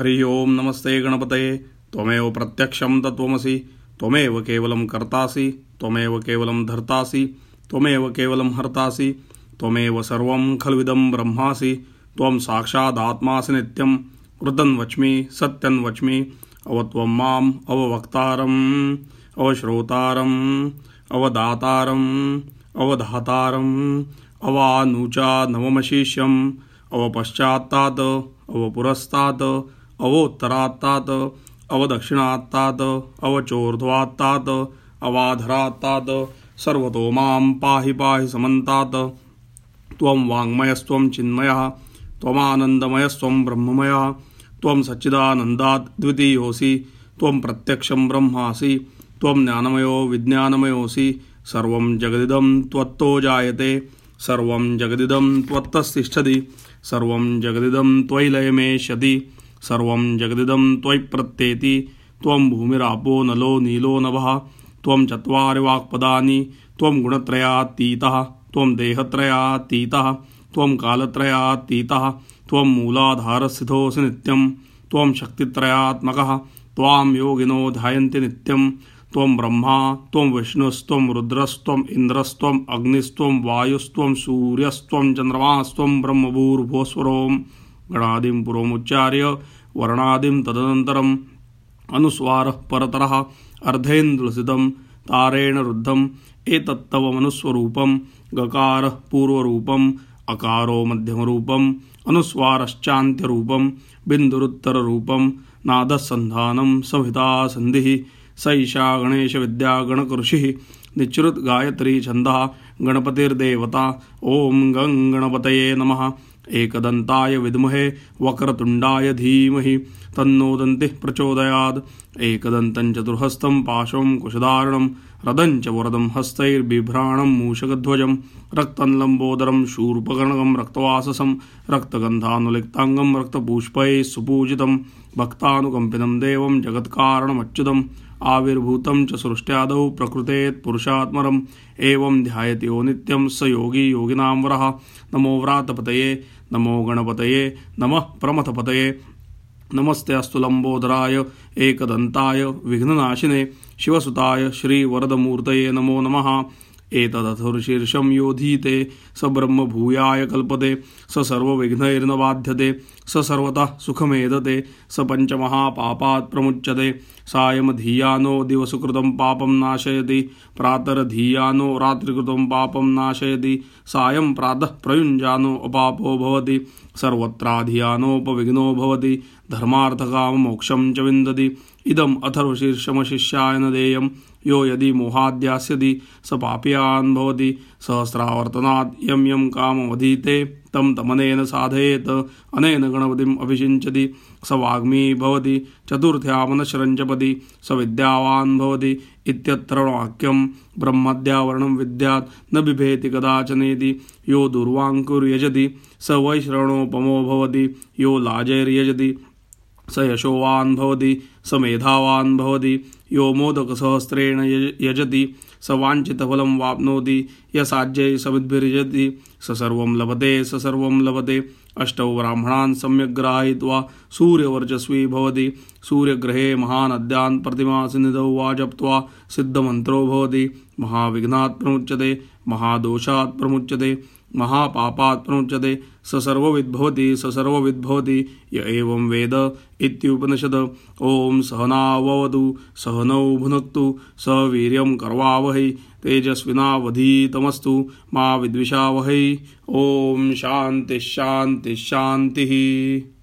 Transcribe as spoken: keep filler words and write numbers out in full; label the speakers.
Speaker 1: हरि ओम नमस्ते गणपतये। त्वमेव प्रत्यक्षं तत्त्वमसि, त्वमेव केवलं कर्तासि, त्वमेव केवलं धर्तासि, त्वमेव केवलं हर्तासि, त्वमेव सर्वं खल्विदं ब्रह्मासि। त्वं साक्षादात्मासि नित्यं वृतं वच्मि सत्यं वच्मि। अवत्वं माम् अववक्तारम् अवश्रोतारम् अवदातारम् अवधातारम् अवानुचा नवमशिष्यम् अवपश्चात्तात् अवपुरस्तात् अवोत्तरात्तात् अवदक्षिणात्तात् अवचोर्ध्वात्तात् अवाधरात्तात् सर्वतो मां पाहि पाहि समन्तात्। त्वं वाङ्मयस्त्वं चिन्मयः त्वमानन्दमयस्त्वं ब्रह्ममयः। त्वं सच्चिदानन्दात् द्वितीयोऽसि, त्वं प्रत्यक्षं ब्रह्मासि, त्वं ज्ञानमयो विज्ञानमयोऽसि। सर्वं जगदिदं त्वत्तो जायते, सर्वं जगदिदं त्वत्तस्तिष्ठति, सर्वं जगदिदं त्वयि लयमेष्यति, सर्वं जगदिदं त्वयि प्रत्येति। त्वं भूमिरापो नलो नीलो नभः, त्वं चत्वारि वाक्पदानि, त्वं गुणत्रयातीतः, त्वं देहत्रयातीतः, त्वं कालत्रयातीतः, त्वं मूलाधारस्थितोऽसि नित्यं, त्वं शक्तित्रयात्मकः। त्वां योगिनो ध्यायन्ति नित्यं। त्वं ब्रह्मा त्वं विष्णुस्त्वं रुद्रस्त्वं इन्द्रस्त्वं अग्निस्त्वं वायुस्त्वं सूर्यस्त्वं चन्द्रमास्त्वं ब्रह्मभूर्भुवस्वरों। गणादिं पुरोमुच्चार्य वर्णादिं तदनन्तरम् अनुस्वारः परतरः अर्धेन्द्रसितं तारेण रुद्धम्। एतत्तव मनुस्वरूपं गकारः पूर्वरूपम् अकारो मध्यमरूपम् अनुस्वारश्चान्त्यरूपं बिन्दुरुत्तररूपं नादसन्धानं संहिता सन्धिः। स ईशा गणेश विद्या गणकृषिः निच्रुत गायत्री छन्दः गणपतिर्देवता। ओम गं गणपतये नमः। एकदन्ताय विद्महे वक्रतुण्डाय धीमहि तन्नो दन्तिः प्रचोदयात्। एकदन्तं चतुर्हस्तं पाशं कुशधारणं रदं च वरदं हस्तैर्बिभ्राणं मूषकध्वजं रक्तं लम्बोदरं शूर्पकर्णकं रक्तवाससं रक्तगन्धानुलिप्ताङ्गं रक्तपुष्पैः सुपूजितं भक्तानुकम्पितं देवं जगत्कारणमच्युतम् आविर्भूतं च सृष्ट्यादौ प्रकृतेत् पुरुषात्मरम्। एवं ध्यायति यो नित्यं स योगी योगिनां वरः। नमो व्रातपतये नमो गणपतये नमः प्रमथपतये। नमस्ते अस्तु लंबोदराय एकदन्ताय विघ्ननाशिने शिवसुताय श्रीवरदमूर्तये नमो नमः। एतदथर्शीर्षं योधीते स ब्रह्म भूयाय कल्पते, स सर्वविघ्नैर्न बाध्यते, स सर्वतः सुखमेधते, स पञ्चमहापापात् प्रमुच्यते। सायं धीयानो दिवसकृतं पापं नाशयति, प्रातर्धीयानो रात्रिकृतं पापं नाशयति, सायं प्रातः प्रयुञ्जानो अपापो भवति, सर्वत्राधियानोपविघ्नो भवति, धर्मार्थकाममोक्षं च विन्दति। इदम् अथर्वशीर्षमशिष्याय न देयं, यो यदि मोहाद्यास्यति स पापीयान् भवति। सहस्रावर्तनात् यं यं काममधीते तं तमनेन साधयेत्, अनेन गणपतिम् अभिषिञ्चति। स वाग्मी भवति चतुर्थ्यामनशरञ्जपति, स विद्यावान् भवति इत्यत्र वाक्यं। ब्रह्मद्यावरणं विद्यात् न बिभेति कदाचनेति। यो दुर्वाङ्कुर्यजति स वैश्रवणोपमो भवति, यो लाजैर्यजति स यशोवान् भवति, स मेधावान् भवति। यो मोदकसहस्रेण यजति स वाञ्छितफलं वाप्नोति, यसाज्यै सविद्भिर्यजति स सर्वं लभते स सर्वं लभते। अष्टौ ब्राह्मणान् सम्यग् ग्राहयित्वा सूर्यवर्चस्वी भवति। सूर्यग्रहे महानद्यान् प्रतिमासनिधौ वा जप्त्वा सिद्धमन्त्रो भवति। महाविघ्नात् प्रमुच्यते, महादोषात् प्रमुच्यते, महापापात् प्रमुच्यते। स सर्वविद्भवति स सर्वविद्भवति य एवं वेद इत्युपनिषद। ओम सहनाववतु सहनौ भुनक्तु सह वीर्यं करवावहै तेजस्विनावधीतमस्तु मा विद्विषावहै। ओम शान्ति शान्ति शान्तिः।